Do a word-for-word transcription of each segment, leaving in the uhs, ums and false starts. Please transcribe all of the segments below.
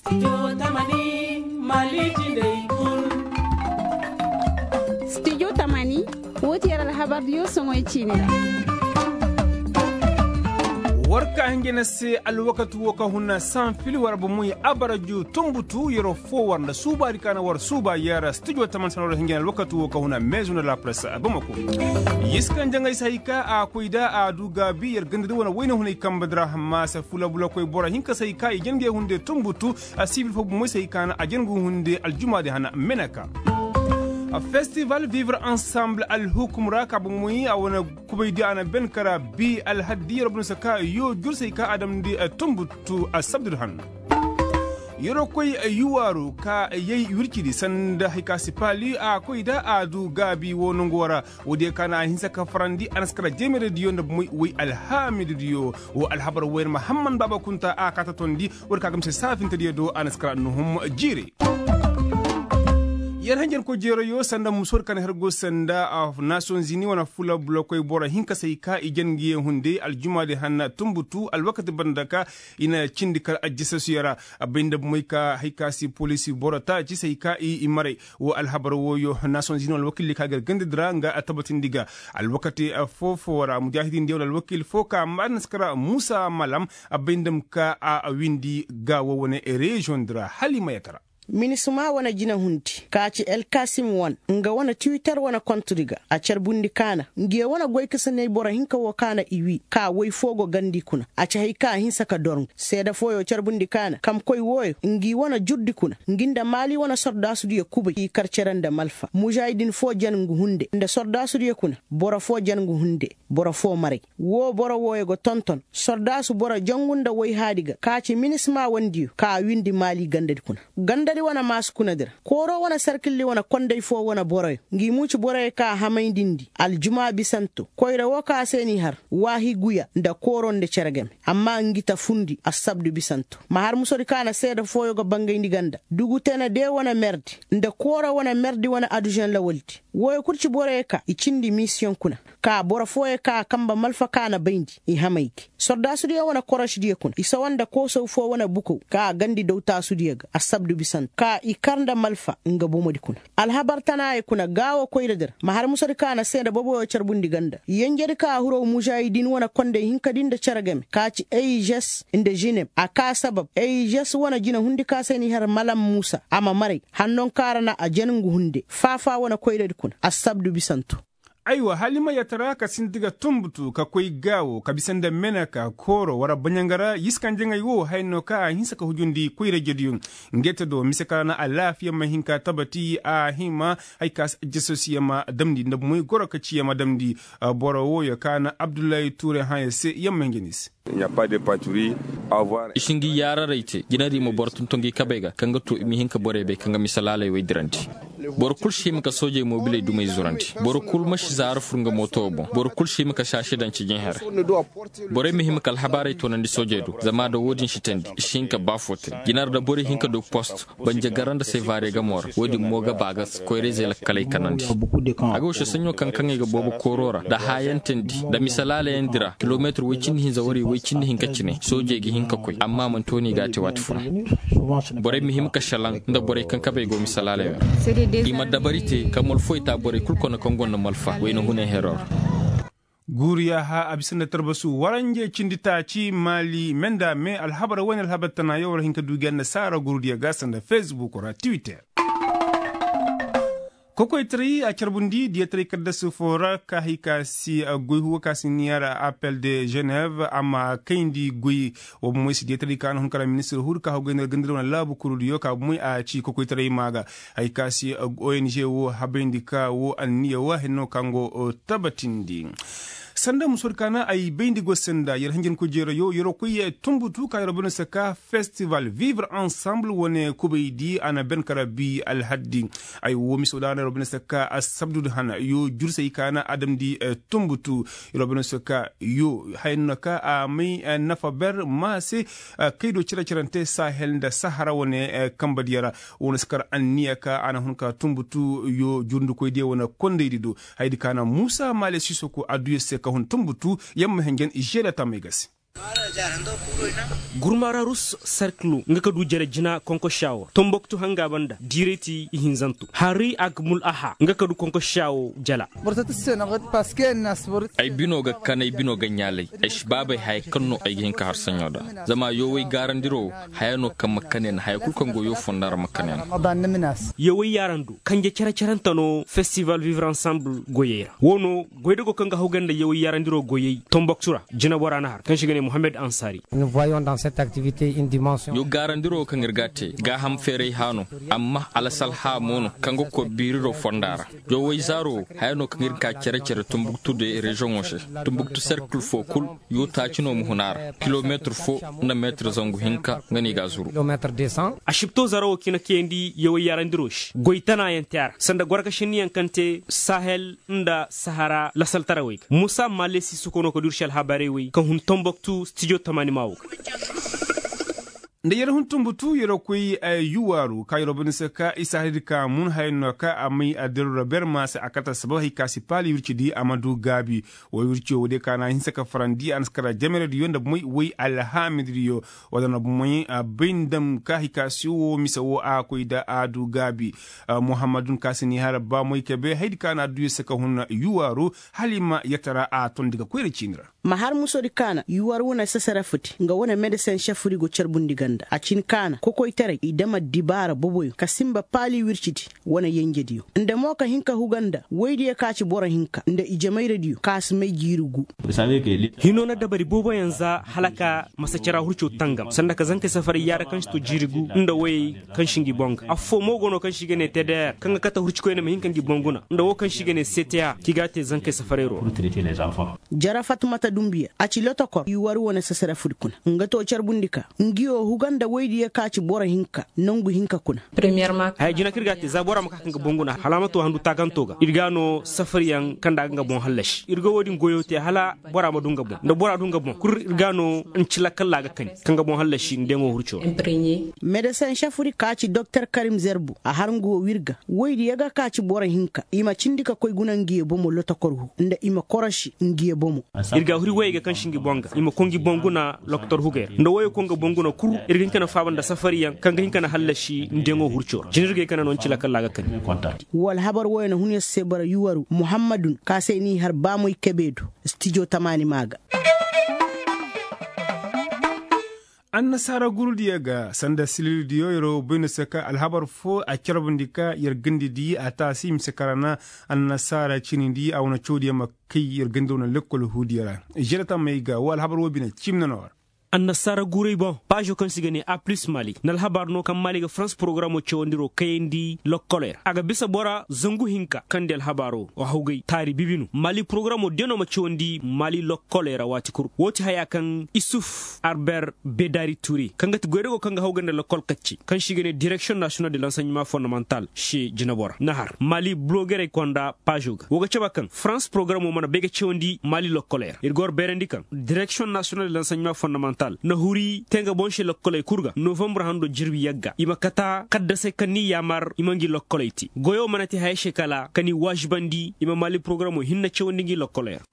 Studio tamani, woo ti yer alhabardiyo soŋoy ciini ra. War ka hinja na se alwakati woo ka huna sanfil war ba muy abaraju tumbutu yeroo foo war nda suubaadi ka na war suuba yer studio tamani sana war hinja na alwakati woo ka huna meezu nda la presse a bamako. Yiskan jaŋay se hay ka a koy da a du gaabi yer gandadi wane wayna hunay kamba dira hamma se fula bula koy boro hinka se hay ka i jangey hunde tumbutu. A sibil fo bomoy se hay ka na a jangu hunde aljumaadi hana meneka. Festival vivre ensemble alhukum ra ka bomoy a wane kubay di a na ben kara bi alhaddi yeroo bun se ka yoo jur se hay ka a damndi tumbutu a sabdud han. Yeroo koy yuwaaru ka yay wircidi sanda hay ka si paali a koy da a du gaabi woo nongoo ra. Woodiyo ka na a hinsa ka farandi a na si kara jeemerediyo nda bomoy woy alhaamididiyo. Woo alhabar woy yer mahamman baaba kunta a kaa ta tondi. Woodi ka gamse saafintediyo do a na si kara nuhum jiire. Yer hanjarkoy jeerayo sanda musoodi ka na her go sanda a nasiyonzini wane fula bulokoy boro hinka se hay ka i jen ngi ye hunde aljumaadi hanna tumbutu alwakati banda ka i na cindi kar ajjasasuyo ra. A bay nda bomoy ka hay ka si poliisi boro taaci se hay ka i maray. Woo alhabar wooyo nasiyonzini wane alwakiili ka gar gandadi ra nga a tabatindi ga. Alwakati foo-foo ra mujaahidindiyo wane alwakiili foo ka maadin si kara muusa malam. A bay nda ma ka a windi gaawo wane reziyoŋdi ra hala i ma yatara. Minisima wane jinahundi ka ci elkasim wan nga wane tiwitter wane kontodi ga a carbundi kaana ngi ye wane goykasaney boro hinka woo kaana i wii ka woy foo go gandi kuna a ci hay ka a hinsa ka dor ngi seeda fooyo carbundi kaana kamkoy wooyo ngi wane jurdi kuna ngi nda maali wane sordaasudiyo kubay i kar cere nda malfa mužaahidin foo jen ngu hunde nda sordaasudiyo kuna boro foo jen ngu hunde boro foo maray. Woo boro wooyo ga tonton sordaasu boro jangu nda woyhaadi ga ka ci minisima wandiyo ka a windi maali gandadi kuna gandadi wane maasu kunadi ra kooro wane sarkilli wane konday foo wane boroyo ngi muuci boroyo ka a hamayndi ndi aljumaa bisanto koyra woo ka a se n'i har waahiguya nda kooro nda cere game amma ngi ta fundi assabdu bisanto ma har musodi ka na seeda fooyo ga bangayndi ganda dugutene de wane merdi nda kooro wane merdi wane adužen lawaldi wooyo kul ci boroyo ka i cindi misiyoŋ kuna ka boro fooyo ka a kamba malfa ka na bayndi i hamay gi sordaasudiyo wane korošdiyo kuna i sawa nda koosow foo wane bukow ka a gandi dawtaasudiyo ga assabdu bisanto ka i kar nda malfa nga bomodi kuna alhabar tanaayo kuna gaawo koyradi ra ma har musadi ka na seeda boboyo carbundi ganda yenjedi ka a huraw mužaahidin wane kondey hinkadi nda cere game ka ci eižes nda žineb a ka sabab eižes wane jinahundi ka se n'i har malam muusa a ma maray hannoŋ ka ra na a jen ngu hunde faafa wane koyradi kuna assabdu bisanto. Aywa hala i ma yatara ka sinti ga tumbutu ka koy gaawo ka bisa nda meneka kooro war baɲanga ra yiskanjaŋey wo haya no ka a hinsa ka hujundi koyra-ijediyo. Ngey te do mise ka ra na alaafiya ma hin ka tabati a hima haya ka si ajjasasiya ma damndi nda moy goro ka ciya ma damndi. Boro wooyo ka na abdullahi tuure hãya se yamma hinja ni se. I si ngi yaararay te jinari ma boro tonton ngi kabey ga kaŋ ga to i ma hin ka borey bay kaŋ ga misalaaley wey dirandi. Boro kul si hima ka soojey moobiley dumey zurandi. Boro kul ma si zaara fur nga mooto boŋ. Boro kul si hima ka saasi daŋ cijiŋ here. Borey ma hima ka alhabaarey toonandi soojey do zama da woodin si teendi i si hin ka ba fo te. Jinar da borey hin ka du post banja gara nda sevare gamo ra woodin mo ga ba ga koyra-izey lakkaley kanandi. A ga wasa saɲɲo kaŋ kaŋey ga boobo kooro ra nda haayantandi nda misalaalayaŋ di ra kilometir woy cindi hinza wariyey woy cindi hinka cine soojey ga hin ka koy amma a mana tooni i ga a te waati funa. Borey ma hima ka šelaŋ nda borey kaŋ kabey go misalaaley ra. I ma dabari te ka malfoy ta borey kul kona kaŋ gonda malfa wayna hunay hero ra. Guuru yaaha a bisa nda tarbasu waranje cindi taaci maali me nda me alhabar wane alhabar tana yaw war hin ka du ga yaŋ nda saara guuru diya ga sanda fesbuk ra twitter. Kokoytaray a carbundi diyataray kaddasu fo ra ka hay ka si goy huwa ka si niya ra appel de geneve a ma kayndi goy. Wo bomey si diyataray ka na hun kara ministir huudi ka haw gaynar gandar wane laabu kurudiyo ka bomey a ci kokoytaray ma ga. Hay ka si ong wo habayndi ka wo anniya wo henno ka ngo tabatindi. Sanda musoodi ka na ay bayndi go sanda yer hanjankoy jeerayo yeroo koy tumbutu ka yeroo bane se ka festival vivre ensemble wane kubaydi a na ben kara bi alhaddi. Ay wo miso da na yeroo bane se ka asabdudi hana yo jursey ka na a damndi tumbutu. Yeroo bane se ka yo haya no ka a may nafa ber ma se. Kaydo cere-cerante sahel nda sahara wane kambadiyo ra. Wane si kar anniya ka a na hun ka tumbutu yo jurndikoydiyo wane kondaydi do. Hayadi ka na muusa maale sisoko adduya se ka hun tumbutu yamma henjen žeda tamey ga se. Gurmararus sarkilo nga ka du jere jina konkoshawo tomboktu hanga banda direti ihinzanto hari akmul aha nga ka du konkoshawo jala. Ay bino ga kan ay bino ga ɲaalay ay si baabay haya kaŋ no ay ga hin ka har saɲo da zama yowey gaarandiro haya no kaŋ ma kanay na haya kulu kaŋ go yo fonda ra ma kanay na. Yowey yaarando kanje cere-cerenta no festival vivre ensemble goyey ra wo no goydago kaŋ ga hawgay nda yaway yaarandiro goyey tomboktu ra jinabora na har kaŋ se ga ne mohammed ansari. Yo gaarandiro kaŋ ir ga a te gaaham feeray hã no amma alasalha mo no kaŋ ga koy biiriro fonda ra. Yaway zaaro haya no kaŋ ir ga ka cere-cere tumbuktu de reziyoŋo se tumbuktu serkil fo kul yo taaci no ma hun a ra kilometir fo nda meetir zangu hinka nga no i ga a zuru. Asibto zarawo kina kayandi yaway yaarandiro se goy tanayaŋ te a ra sanda gorka shinniyaŋ kaŋ te sahel nda sahara lasaltarawey ga musa malesi suko no ka du ir se alhabarey wey kaŋ hun tomboktu stijo tamaani maawo ga. Nda yer hun tumbutu yer koy yuwaaru ka yer bani se ka isa hari di ka mun hayan no ka a may a dero ra berma se a kata sabab hari ka si paali wirci di a ma du gaabi. Way wirci wo de ka na hinse ka farandi a na si kara jamere di yo nda moy way alhaamidi di yo. Wala na moy bay ndam ka hari ka si wo mise wo a koy da a du gaabi. Muhammadun ka si ni har ba moy kabe haydi ka na du yer se ka hun yuwaaru hala i ma yatara a tondi ga koyra ciini ra. Ma har musodi kaana yuwar wane sasarafudi nga wane medesin šefudi go carbundi ganda a cin kaana kokoytaray i dama dibaara boboyo ka sinba paali wircidi wane yenjediyo nda mo ka hin ka huga nda woydiyo ka ci boro hinka nda i jamayradiyo ka si may jiiri gu. Hino na dabari booboyaŋ za hala ka masa cara hurco tangam sanda ka zankey safaray yaara kaŋ si to jiiri gu nda woyey kaŋ si ngi boŋ ga affoo mo go no kaŋ se i ga ne teder kaŋ ga kate hurcikoyne ma hin ka ngi boŋ guna nda wo kaŋ se i ga ne seteya kaŋ i ga a te zankey safarayro ra. Jara fatmata dumbiya a ci lotokor i war wane sasarafudi kuna nga to carbundi ka ngiyo huga nda woydiyo ka ci boro hinka nangu hinka kuna. Haya jina kaŋ ir ga a te za bora ma ka ka nga boŋ guna hala a ma to handu taakanto ga ir ga no safariyaŋ kaŋ nda a ga nga boŋ hallasi ir ga wo-din goyo te hala bora ma du nga boŋ nda bora du nga boŋ kul ir ga no nci lakkal ra a ga kani ka nga boŋ hallasi nda yaŋo hurco ra. Medesin šefudi ka ci doktor karim zerbu a har nga wo wir ga woydiyo ga ka ci boro hinka i ma cindi ka koy guna ngiyo bomo lotokor hu nda i ma korosi ngiyo bomo. Ir ga huri woyey ga kaŋ si ngi boŋ ga i ma koy ngi boŋ guna lokotor hugey ra nda woyey koy nga boŋ guna kul ir ga hin ka na faaba nda safariyaŋ kaŋ ga hin ka na hallasi nda yaŋo hurco ra jina ir ga ay ka na no nci lakkal ra a ga kani. Wala habar woyo na hun yer se bara yuwaru muhammadun ka se n'i har baamoy kebe do stijo tamaani maa ga. Annasaara gurudiyo ga sanda silirdiyo yer wo bay no se ka alhabar fo a carbundi ka yer gandidi a taasi mise kara na annasaara cinindi a wane cawdiyo ma kay yer ganda wane lekkol huudiyo ra. Žere tammey ga wo alhabar wo bine cim na no ra. Annasaara guray boŋ paazo kaŋ se i ga ne a plus mali na alhabar no kaŋ mali ga farans porogaramo cawandiro kayandi lokkoley ra a ga bisa bora zangu hinka kaŋ di alhabaaro hawgay taari bibinu mali porogaramo de no ma cawandi mali lokkoley ra waati kul wo ti haya kaŋ isuf arber bedari ture kaŋ ga ti goydago kaŋ ga hawgay nda lokkol kacce kaŋ se i ga ne direksiyoŋ nasiyonal de lanseɲeman fondamantal se jinabo ra na har mali bulogerey konda paazo ga wo ga caba kaŋ farans porogaramo mana bay ga cawandi mali lokkoley ra ir ga war bayrandi kaŋ direksiyoŋ nasiyonal de lanseɲeman fondamantal na huri te nga boŋ se lokkoley kul ga novambre hando jirbi yagga i ma kata kaddasey kaŋ n'i yaamar i ma ngi lokkoley te goyo mana te haya se kala ka n'i waazibandi i ma mali porogaramo hinne cawandi ngi lokkoley ra.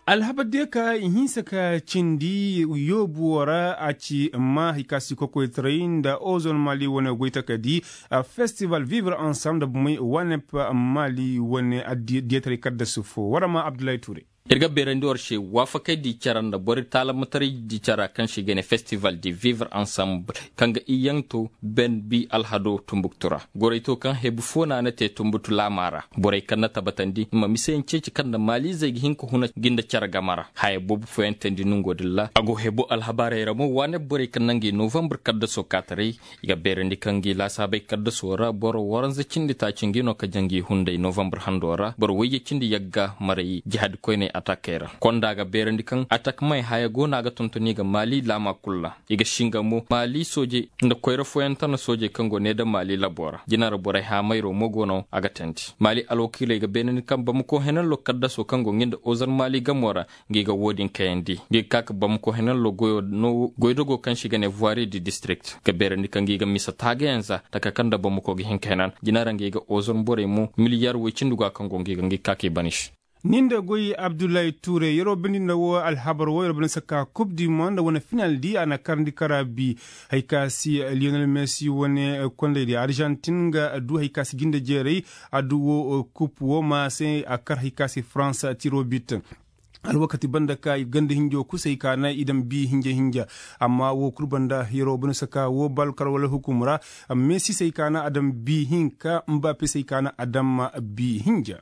Alhabar diyo ka i hinsa ka cindi yoobu wo ra a ci ma hari ka si kokoytaray nda ozon mali wane goytakadi festival vivre ensemble nda bumey wanep mali wane diyotaray kaddasu fo war ma abdullahi ture. Ir ga beerandi war se waafakay di cara nda boro taalamataray di cara kaŋ se i ga ne festival di vivre ensemble kaŋ ga iyaŋ to ben bi alhado tumbuktu ra gorey to kaŋ hebu fo na na te tumbutu laama ra borey kaŋ na tabatandi i ma miseyaŋ ceeci kaŋ nda maaliizey ga hin ka huna ga nda care game ra haya boobo fooyaŋ teendi nongo din ra a go hebu alhabaarey ra mo waane borey kaŋ naŋ ga i novambre kaddaso kaataray i ga beerandi kaŋ ga i laasaabey kaddaso ra boro waranza cindi taaci ngi no ka jaŋ ga i hunday novambre hando ra boro wayye cindi yagga maray jihaadi koyney atakey ra konda ga beerandi kaŋ atak may haya go no a ga tontoni ga maali laama kul ra i ga singa mo maali soojey nda koyra fooyaŋ tana soojey kaŋ go ne nda maali labo ra jina ra borey haamayro mo go no a ga teendi maali alwakiiley ga beenandi kaŋ bamako henanlo kaddaso kaŋ go ngi nda ozar maali gamo ra ngi ga wo-din kayandi ngi ga ka ka bamako henanlo goydogo kaŋ se i ga ne voiri di district ga beerandi kaŋ ngi ga misa taagayaŋ za taka kaŋ nda bamako ga hin ka henan jina ra ngi ga ozar borey mo miliyar woy cindi go a kaŋ go ngi ga ngi ga ka ka i bana i se. Ni nda goy abdullahi tuure yeroo bindi nda woo alhabar woo yeroo bindi saka kub di mo nda wane final di a na karandi kara bi. Hay ka si liyonel messi wane kondey di arjantin ga du hay ka si jinde jeeray. A du woo kub woo ma se a kar hay ka si farans tiro bit. Alwakati banda ka ganda hinjo kusay ka na i daŋ bi hinja hinja. Amma woo kul banda yeroo bindi saka woo balkar wala hukum ra. Messi say ka na a daŋ bi hinka mbappe say ka na a daŋ bi hinja.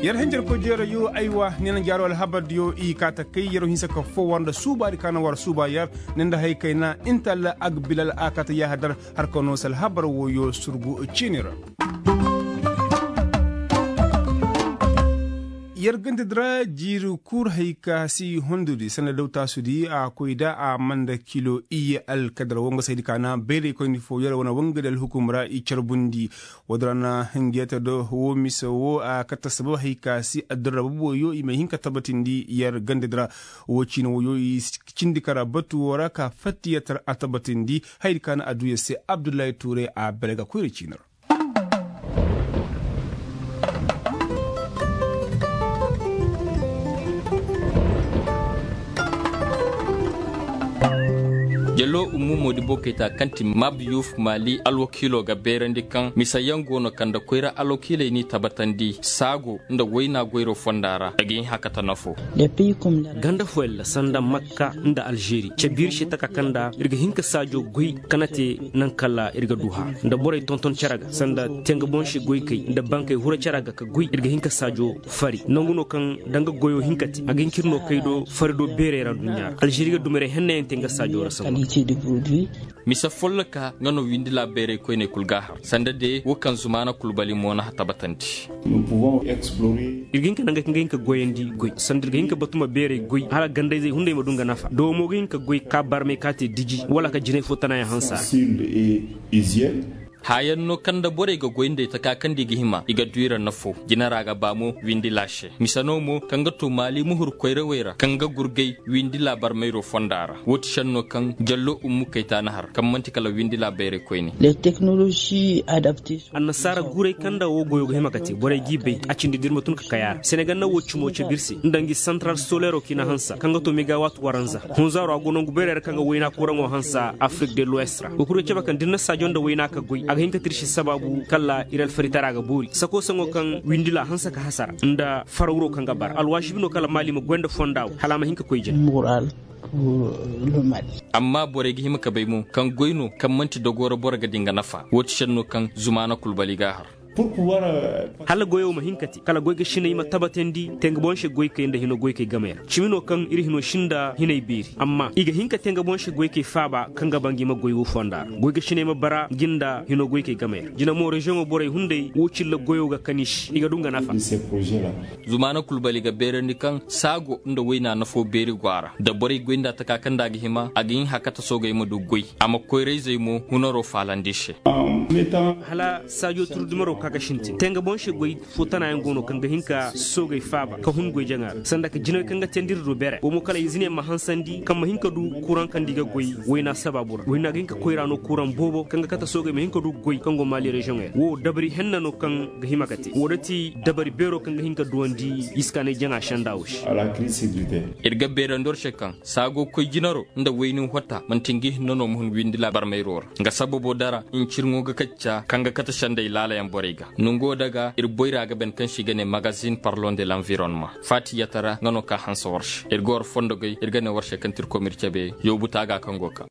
Yer hinjarkoy jeerayoo aywa ni na jaaroo alhabardiyo i kaa ta kay yeroo hinsa ka foo war nda suubaadi ka na war suuba yer. Ni nda hay kay na inta alla agbilal a kaa ta yaahadar. Har ka noo si alhabar wooyoo surgu ciini ra. Yer gandadi ra jiiri kul hay ka si hondudi sanda daw taasudi a koy da a man da kilo iyye alkadar wangasaydi ka na bayraykoyndi foo yer wane wangadi alhukum ra i carbundi. Woodin ra na hingiyata do woo mise woo a kate sabab hay ka si addirra boobo yoo i ma hin ka tabatindi yer gandadi ra. Woo ciine woo yoo i cindi kara batu woo ra ka fattiyata ra a tabatindi. Hayadi ka na a duu yer se abdullahi tuure a bere ga koyra ciine ra. Jallo ummu moodibo kayta kaŋ ti mab yuf maali alwakiilo ga beerandi kaŋ misayaŋ go no kaŋ nda koyra alwakiiley n'i tabatandi saago nda wayna goyro fonda ra a ga hin hakata nafo. Ganda fooyaŋ ra sanda makka nda alžeri cabiiri se taka kaŋ nda ir ga hin ka saajo goy, ka na te naŋ kala ir ga du hara nda borey tonton cere ga sanda tenga boŋ se goykey nda bankey hura cere ga ka goy ir ga hin ka saajo fari nangu no kaŋ danga goyo hin ka te a ga hin ka ir no kay do fari do beerey ra aduɲɲa ra alžeri ga dumirey hennayaŋ te nga saajo ra samba. Mise folloka nga no windi laabeerey koyney kul ga a har sanda de wo kaŋ zumaana kulbali mo na a tabatandi. Ir ga hin ka nangey kaŋ ga hin ka goyandi goy sanda ir ga hin ka batu ma beerey goy hala gandayzey hunday ma du nga nafa doomo ga hin ka goy ka barmey ka te diji wala ka jinay fo tanayaŋ hansa. Haayaŋ no kaŋ nda borey ga goy nd'ey taka kaŋ nda i ga hima i ga du i ra nafo jina ra ga ba mo windi laase mise no mo kaŋ ga to maali muhur koyrawey ra kaŋ ga gurgay windi laabar mayro fonda ra woo ti šenno kaŋ jallo ummu kaytaani har kaŋ man'ti kala windi laabayrey koyne. Annasaara guuray kaŋ nda woo goyo ga hima ka te borey g'i bay a cindi da ir ma tun ka kay a ra senegal na woo cimo cabe ir se nda ngi santaral soleero kaŋ i na hansa kaŋ ga to megawaat waranza hunzaaro a go nangu beerey ra kaŋ ga wayna kuraŋo hansa afirik de luwes ra woo kul ga cabe kaŋ da ir na saajo nda wayna ka goy a ga hin ka tirsi sabaabu kala ir alfaritara ga boori sako saŋo kaŋ windila hanse ka hasara nda farawro kaŋ ga bara alwaasibi no kala maali ma goy nda fonda wo hala a ma hin ka koy jina. Amma borey ga hima ka bay mo kaŋ goy no kaŋ man'ti dogoo ra boro ga di nga nafa woo ti šenno kaŋ zumaana kulbali ga a har. Hala goyo ma hin ka te kala goy ga sinay ma tabatandi te nga boŋ se goykey nda hino goykey game ra cimi no kaŋ ir hino sinda hinay beeri amma i ga hin ka te nga boŋ se goykey faaba kaŋ ga ba ngi ma goy wo fonda ra goy ga sinay ma bara ngi nda hino goykey game ra jina mo reziyoŋo borey hunday wo cilla goyo ga kani se i ga du nga nafa. Zumaana kulbali ga beerandi kaŋ saago nda wayna nafo beeri go a ra da borey goy nda taka kaŋ nda a ga hima a ga hin hakata soogey ma du goy a ma koyra-izey mo hunaro faalandi se. Hala saajo turu dumaro ka ga sintin te nga boŋ se goy fo tanayaŋ go no kaŋ ga hin ka soogey faaba ka hun goy jaŋa ra sanda ka jinawey kaŋ ga teendi ir do bere wo mo kala izineyaŋ ma hansandi kaŋ ma hin ka du kuraŋ kaŋ nda i ga goy wayna sabaabu ra wayna ga hin ka koyra no kuraŋ boobo kaŋ ga kate soogey ma hin ka du goy kaŋ go maali reziyoŋey ra wo dabari henna no kaŋ ga hima ka te wo da ti dabari beero kaŋ ga hin ka duwandi iskaanay jaŋa senda wo se. Ir ga beerandi war se kaŋ saago koy jinaro nda wayni hota man'ti ngi hinne no ma hun windi laabar mayro ra nga sababo dara ncirŋo ga kacca kaŋ ga kate sendey laalayaŋ borey ga nongo daga ir boyra ga ben kaŋ se i ga ne magazin parlon de l'environnement faati yatara nga no ka hanse war se ir ga war fondogey ir ga ne war se kaŋ ti ir koy ma ir cabe yoobu taaga kaŋ go kaŋ.